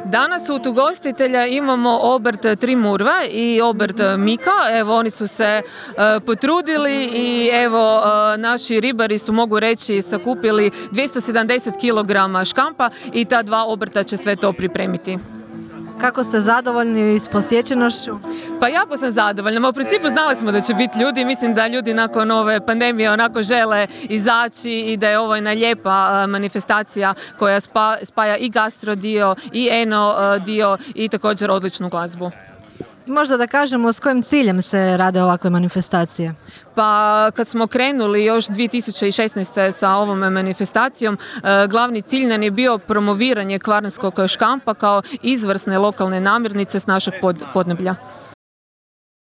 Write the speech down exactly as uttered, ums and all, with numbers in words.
Danas u ugostitelja imamo obrt Tri Murve i obrt Mika. Evo, oni su se uh, potrudili i evo, uh, naši ribari su, mogu reći, sakupili dvjesto sedamdeset kilograma škampa i ta dva obrta će sve to pripremiti. Kako ste zadovoljni s posjećenošću? Pa jako sam zadovoljna. U principu znali smo da će biti ljudi. Mislim da ljudi nakon ove pandemije onako žele izaći i da je ovo jedna lijepa manifestacija koja spa, spaja i gastro dio i eno dio i također odličnu glazbu. Možda da kažemo s kojim ciljem se rade ovakve manifestacije? Pa kad smo krenuli još dvije tisuće šesnaeste. sa ovom manifestacijom, glavni cilj nam je bio promoviranje kvarnerskog škampa kao izvrsne lokalne namirnice s našeg pod, podneblja.